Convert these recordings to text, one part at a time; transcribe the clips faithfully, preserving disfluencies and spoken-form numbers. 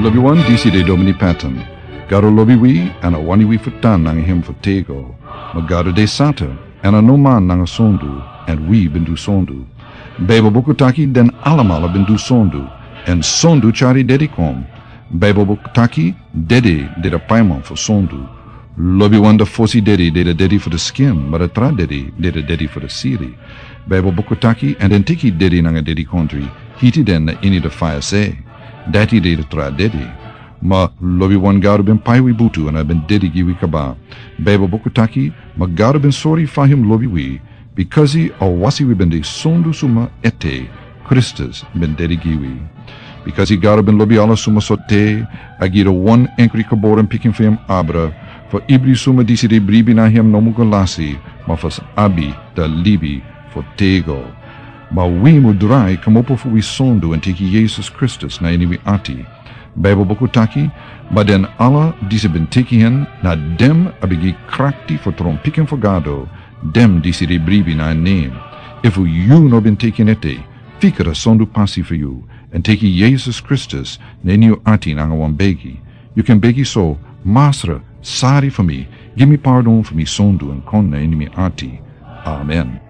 Lobiwan, disi de Domini Patton. Gado lobi wi, èn a wani wi fu tan nanga hem fu tego. Ma Gado de santa, èn a no man nanga sondu, èn wi ben du sondu. Baibel buku taki den alamala ben du sondu, èn sondu tyari dedi kon. Baibel buku taki dedi de a paiman fu sondu. Lobiwan, a fosi dedi de a dedi fu a skin, ma a tra dedi de a dedi fu a siri. Baibel buku taki, èn den teki dedi nanga dedikondre, hiti den na ini a faya se. Dati de a tra dedi. Ma lobiwan, Gado ben pai wi butu èn a ben dedi gi wi kaba. Baibel buku taki, ma Gado ben sori fa hem lobi wi, bikasi a wasi wi ben de sondu suma ete, Kristus ben dedi gi wi. Bikasi Gado ben lobi ala suma sortu, a gi a wan enkri geboren pikin fu hem abra, fu ibri suma disi de bribi na hem no mu go lasi, ma fu sa abi a libi fu tego. Ma wi mu drai kmopo fu wi sondu èn teki Yesus Kristus na ini wi ati. Baibel buku taki, ma den ala disi ben teki hen, na den a ben gi krakti fu tron pikin fu Gado, den disi de bribi na en nen. Efu yu no ben teki en ete, fika a sondu pasi fu yu, èn teki Yesus Kristus na ini yu ati nanga wan begi. Yu kan begi so: Masra, sori fu mi, gi mi pardon fu mi sondu èn kon na ini mi ati. Amen.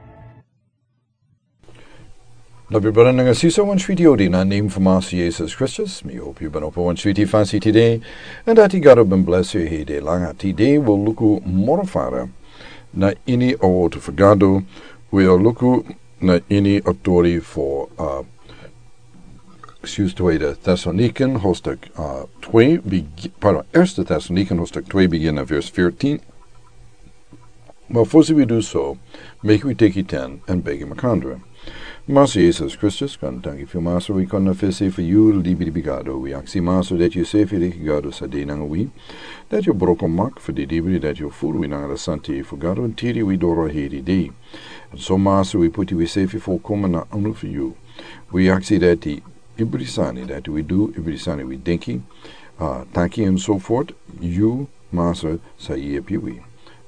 Lobi brada nanga sisa, wan switi odi na nen fu Masra Yesus Kristus. Mi hopi yu ben opo wan switi fasi tide, èn dati Gado ben blesi yu hei de langa. Tide wi o luku moro fara na ini a wotu fu Gado. Wi o luku na ini a tori fu, uh, excuse, Tweede Thessaloniken hoofdstuk, uh, twee, begi-, pardon, Eerste Thessaloniken hoofdstuk twee, begin na vers veertien. Ma fosi wi du so, meki wi teki ten èn begi makandra. Masra Yesus Kristus, kon tanki fu yu, Masra, wi kon na fesi fu yu, libisma Gado. Wi aksi, Masra, dati yu sefi de Gado san de nanga wi, dati yu broko mak fu didibri, dati yu furu wi nanga a santa fu Gado, èn tiri wi doro heri de. Èn so, Masra, wi puti wi sefi folkomen na anu fu yu. Wi aksi dati ibri sani dati wi du, ibri sani wi denki, uh, taki èn so fort, yu, Masra, sa yepi wi.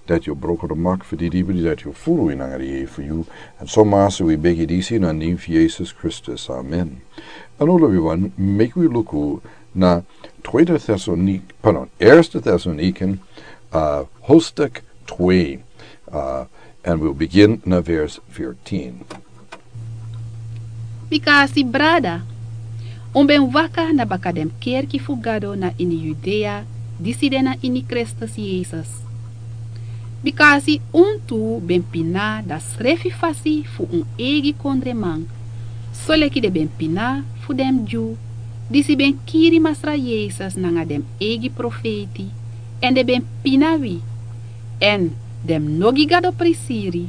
Dati yu broko a mak fu didibri, dati yu furu wi nanga a yeye fu yu. Èn so, Masra, wi begi disi na nen fu Yesus Kristus. Amen. Èn now, lobiwan, meki wi luku na Tweede Thessalonik-, pardon, Eerste Thessaloniken, uh, hoofdstuk twee, uh, and we'll begin na vers veertien. Bikasi, brada, un ben waka na baka den kerki fu Gado na ini Yudea, disi de na ini Kristus Yesus. Bikasi un tu ben pina a srefi fasi fu un eigi kondreman, soleki den ben pina fu den Dyu, disi ben kiri Masra Yesus nanga den eigi profeiti, èn den ben pina wi, èn den no gi Gado prisiri,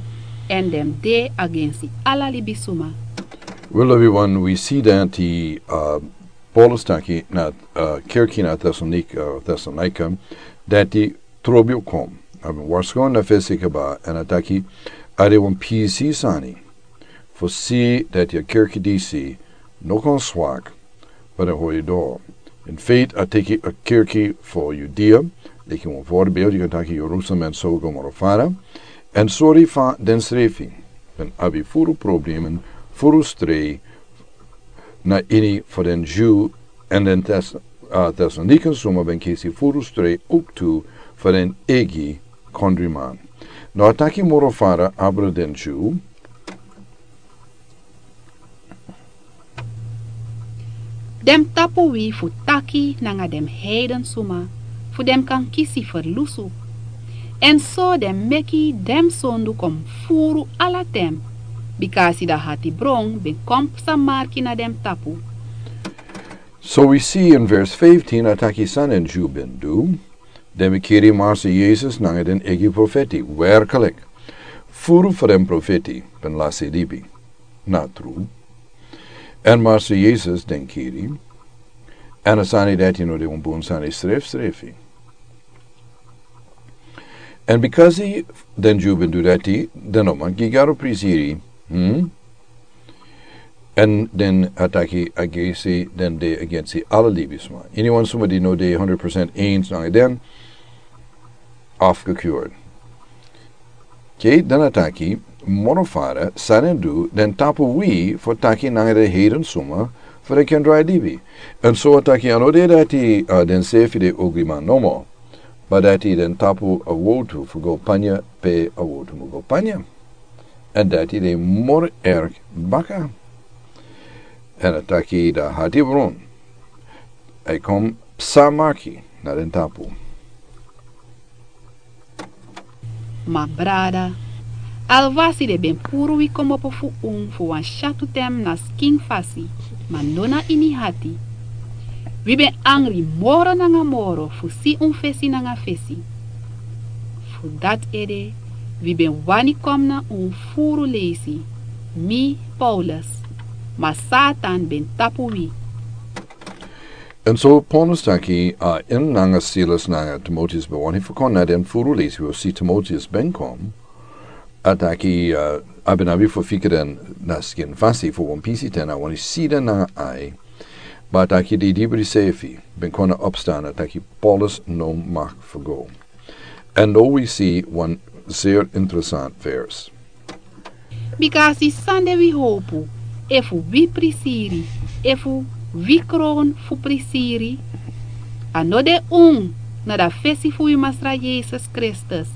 èn den de agensi ala libisma. Wel, lobiwan, wi si dati, uh, Paulus taki na, uh, kerki na Thessalonik-, uh, Thessalonika, dati trobi o kon. A ben warskow na fesi kaba, èn a taki, a de wan pisi sani fu si dati a kerki disi no kon swak, ma den hori doro. In feite, a teki a kerki fu Yudea, leki wan voorbeeld, yu kan taki Jerusalem èn so go moro fara, èn sori fa densrefi ben abi furu problemen, furu strei, na ini fu den Dyu, èn den Thes-, uh, Thessalonikan suma ben kisi furu strei ook tu fu den eigi kondreman. Now a taki moro fara abra den Dyu. Den tapu wi fu taki nanga den heiden suma, fu den kan kisi ferlusu. Èn so den meki den sondu kon furu ala ten, bikasi a hatibron ben kon psa marki na den tapu. So wi si in vers vijftien a taki san den Dyu ben du, den ben kiri Masra Yesus nanga den eigi profeti, werkelijk. Furu fu den profeti ben lasi libi. Na tru. Èn Masra Yesus den kiri. Èn a sani dati no de wan bun sani srefsrefi. Èn bikasi den Dyu ben du dati, den no man gi Gado prisiri. Hmm? Èn den a taki agensi, den de agensi ala libisma. Iniwan suma di no de hundred percent eens nanga den, afgekuurd. Oké, dan a taki, moro fara, san den du, den tapu wi fu taki nanga den heiden suma, Fu den ken drai libi. Èn so a taki a no de dati, a, den srefi de ogriman nomo. Ma dati den tapu a wowtu fu go panya pe a wowtu mu go panya. Èn dati de moro ergi baka. Èn a taki dan hati bron. A e kon psa maki na den tapu. Ma brada, alwasi den ben puru wi kmopo fu un fu wan syatu ten na skin fasi, ma no na ini hati. Wi ben angri moro nanga moro fu si un fesi nanga fesi. Fu dati ede wi ben wani kon na un furu leisi, mi, Paulus, ma Satan ben tapu wi. Èn so Paulus taki, a, en nanga Silas nanga Timoteus ben wani fu kon na den furu leisi, wi o si Timoteus ben kon. A taki, a, a ben abi fu fika den na skin fasi fu wan pisi ten, a wani si den nanga ai. Ma a taki di dibri srefi ben kon na opstan, a taki Paulus no mag fu go. Èn now wi si wan zeer interessant vers. Bika a si san de wi howpu, efu wi prisiri, efu wi kron fu prisiri. A no de un, na da fesi fu wi Masra Yesus Kristus,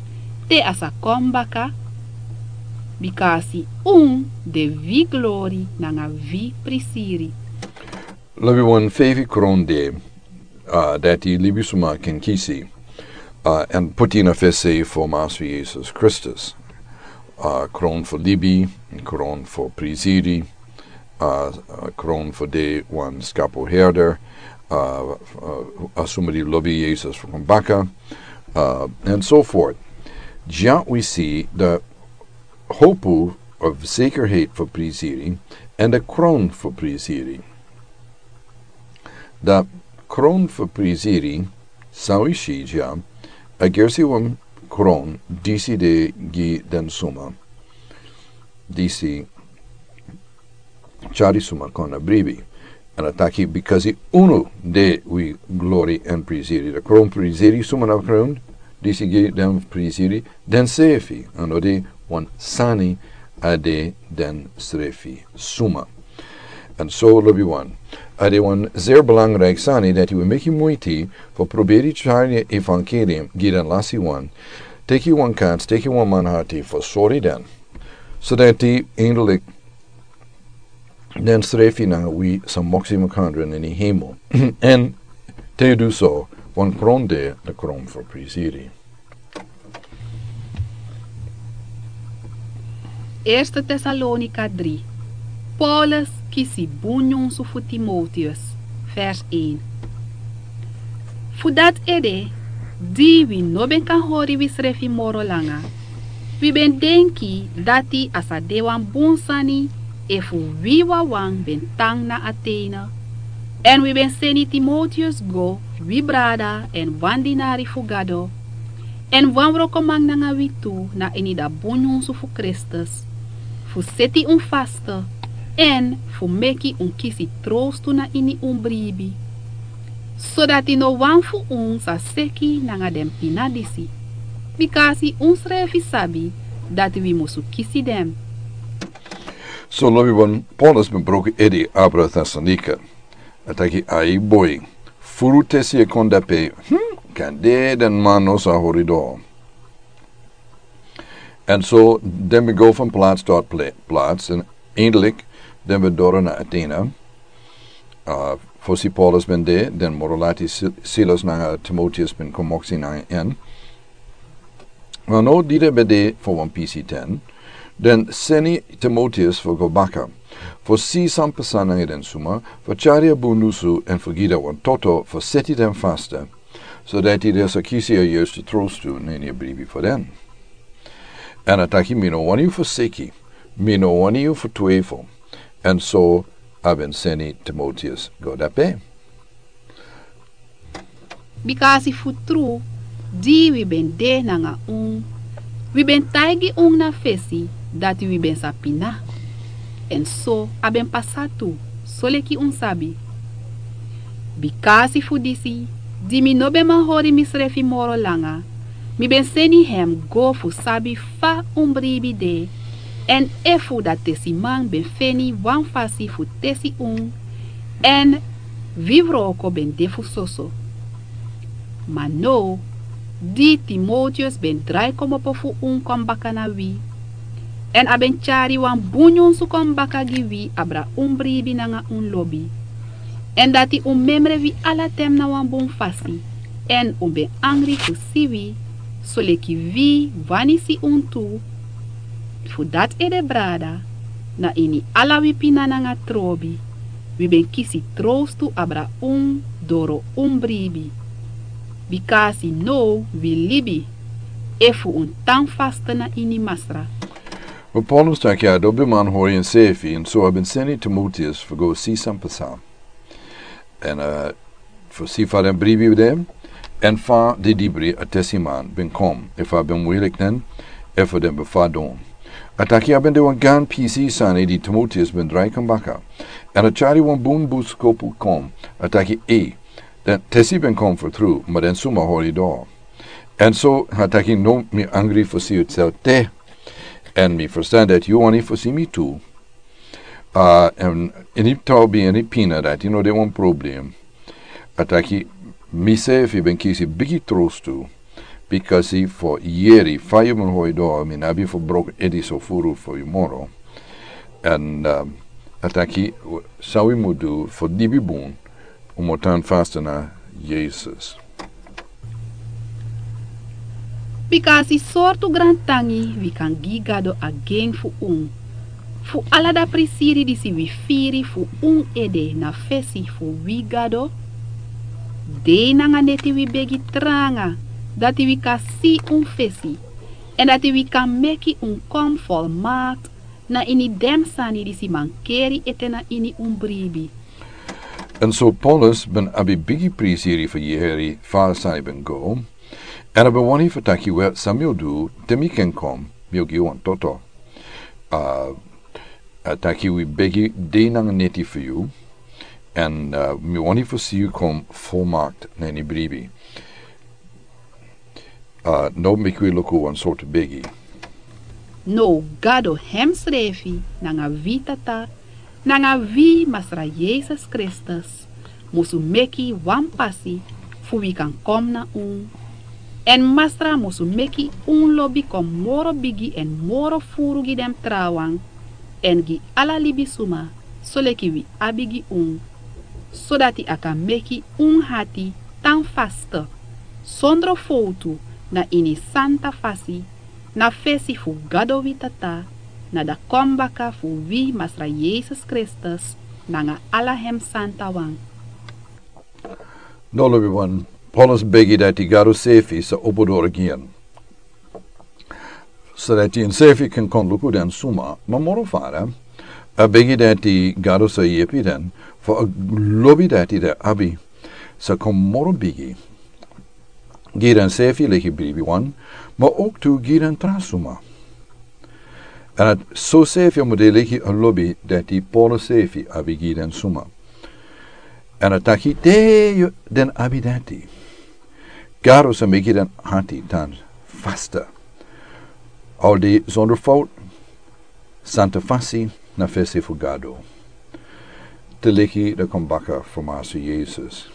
te a sa kon baka. Bika a si un de wi glori nanga wi prisiri. Lobi wan feifi kron de, a, dati libisuma ken kisi, a, èn poti na fesi fu Masra Yesus Kristus. A, kron fu libi, kron fu prisiri, a, a, kron fu de wan skapu herder, a, a, a suma di lobi Yesus fu kon baka, a, and so forth. Dya wi si da howpu of zekerheid fu prisiri, èn da kron fu prisiri. Da kron fu prisiri, san wi si dya, a gersi wan kron disi de gi den suma. Disi tyari suma kon na bribi. Èn a taki, bikasi unu de wi glori èn prisiri. Da kron prisiri suma na kron, disi gi den prisiri, den srefi, a no de wan sani, a de den srefi suma. Èn so lobi wan. A de wan zeer belangrijk sani dati wi meki muiti fu proberi tyari evangelium gi den lasi wan. Teki wan kans, teki wan manhati fu sori den. So dati eindelijk den srefi nanga wi sa moksi makandra na ini hemel. Èn te yu du so, wan kron de, da kron fu prisiri. Eerste Tesalonika drie. Paulus kisi bun nyunsu fu Timoteus. Vers een. Fu dati ede, di wi no ben kan hori wisrefi moro langa, wi ben denki dati a sa de wan bun sani efu wi wawan ben tan na Atene. Èn wi ben seni Timoteus go, wi brada èn wan dinari fu Gado, èn wan wrokoman nanga wi tu na ini da bun nyunsu fu Kristus, fu seti un faste, èn fu meki un kisi trowstu na ini un bribi, sodati no wan fu un sa seki nanga den pina disi, bikasi unsrefi sabi dati wi musu kisi den. So lobi wan, Paulus ben broko ede abra Tesalonika. A taki: Ai boi, furu tesi e kon dape, hm, kande den man no sa hori doro. Èn so den ben go van plaats tot pla-, plaats, èn eindelijk den ben doro na Atene. A, fosi Paulus ben de, den moro lati Si-, Silas nanga Timoteus ben kon moksi nanga en. Ma now di den ben de fu wan pisi ten, den seni Timoteus fu go baka, fu si san pasa nanga den suma, fu tyari a bun nyunsu èn fu gi den wan toto fu seti den faste, sodati den sa kisi a yerste trowstu na ini a bribi fu den. Èn a taki: Mi no wani yu fu seki, mi no wani yu fu twefel. Èn so a ben seni Timoteus go dape. Bikasi fu tru, di wi ben de nanga un, wi ben taigi un na fesi dati wi ben sa pina. Èn so a ben pasa tu, soleki un sabi. Bikasi fu disi, di mi no ben man hori misrefi moro langa, mi ben seni hem go fu sabi fa un bribi de, èn efu da tesiman ben feni wan fasi fu tesi un, Èn wi wroko ben de fu soso. Ma now, di Timoteus ben drai kmopo fu un kon baka na wi, èn a ben tyari wan bun nyunsu kon baka gi wi abra un bribi nanga un lobi, èn dati un memre wi ala ten na wan bun fasi, èn un ben angri fu si wi, soleki wi wani si un tu. Fu dati ede, brada, na ini ala wi pina nanga trobi, wi ben kisi trowstu abra un doro un bribi. Bika a si now wi libi, efu un tan faste na ini Masra. Ma Paulus taki a dobriman hori enseefi, èn so a ben seni Timoteus fu go si san pasa. Èn, eh, fu si fa den bribi de, èn fa den dibri a tesiman ben kon, efu a ben wilik den, efu den ben fadon. A taki a ben de wan gran pisi sani di Timoteus ben drai kon baka. Èn a tyari wan bun boskopu kon, a taki, ei, den tesi ben kon fu tru, ma den suma hori doro. Èn so a taki, now mi angri fu si un sel te. Èn mi ferstan dati yu wani fu si mi tu. Ah, èn ini trobi, ini pina, dati no de wan problem. A taki, miseefi ben kisi bigi trowstu, bikasi fu yere fa yu ben hori doro, mi no abi fu broko ede so furu fu yu moro. Èn, ah, a taki, san wi mu du fu libi bun, un mu tan faste na Yesus. Bika a si sortu grantangi wi kan gi Gado again fu un. Fu ala den prisiri disi wi firi fu un ede na fesi fu wi Gado. Dei nanga neti wi begi tranga, dati wi kan si un fesi, èn dati wi kan meki un kon folmakti na ini den sani disi mankeri ete na ini un bribi. Èn so Paulus ben abi bigi prisiri fu yere fa a sani ben go. Èn a ben wani fu taki, wel, san mi o du, te mi kan kon, mi o gi wan toto. Ah, a taki wi begi dei nanga neti fu yu. Èn, ah, mi wani fu si yu kon folmakti na ini bribi. Ah, now meki wi luku wan sortu begi. Now Gado hemsrefi nanga wi Tata, nanga wi Masra Yesus Kristus, musu meki wan pasi fu wi kan kon na un. Èn Masra musu meki un lobi kon moro bigi èn moro furu gi den trawan, èn gi ala libisuma, soleki wi abi gi un, sodati a kan meki un ati tan faste, sondro fowtu, na ini santa fasi, na fesi fu Gado wi Tata, na dakonbaka fu wi Masra Yesus Kristus, nanga ala hem santawan. Now lobiwan, Paulus begi dati Gado sefi sa opo doro gi en. Sodati ensefi kan kon luku den suma, ma moro fara, a begi dati Gado sa yepi den, fu a lobi dati den abi, sa kon moro bigi. Gi den sefi leki bribiwan, ma ook tu gi den tra suma. Èn a so sefi a mu de leki a lobi dati Paulus sefi abi gi den suma. Èn a taki te den abi dati, Gado sa meki den ati tan faste. Al de sondro fout, santa fasi na fesi fu Gado. Te leki dakonbaka fu Masra Yesus.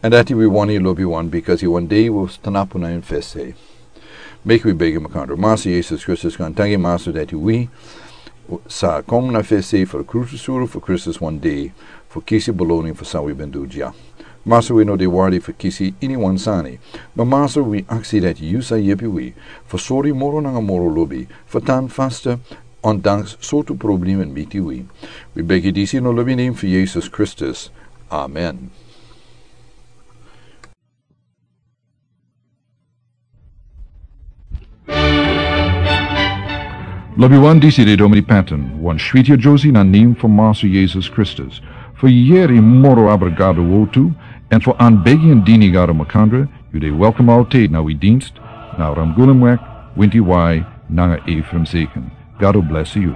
Èn dati wi wani lobiwan, bikasi wan dei wi o tan apu na en fesi. Meki wi begi makandra. Masra Yesus Kristus, grantangi Masra dati wi sa kon na fesi fu krusu suru fu Kristus wan dei, fu kisi beloni fu san wi ben du dya. Masra, wi no de wardi fu kisi iniwan sani. Ma Masra, wi aksi dati yu sa yepi wi, fu sori moro nanga moro lobi, fu tan faste, ondanks sortu problema miti wi. Wi begi disi na lobi nen fu Yesus Kristus. Amen. Lobiwan, disi de Domini Patton, wan switi a Josie na nen fu Masra Yesus Kristus. Fu yere moro abra Gado wortu, èn fu anbegi èn dini Gado makandra, yu de welkom altijd na wi dienst, na Ramgulemweg, Winti Wai, nanga Ephraim Zeken. Gado bless yu.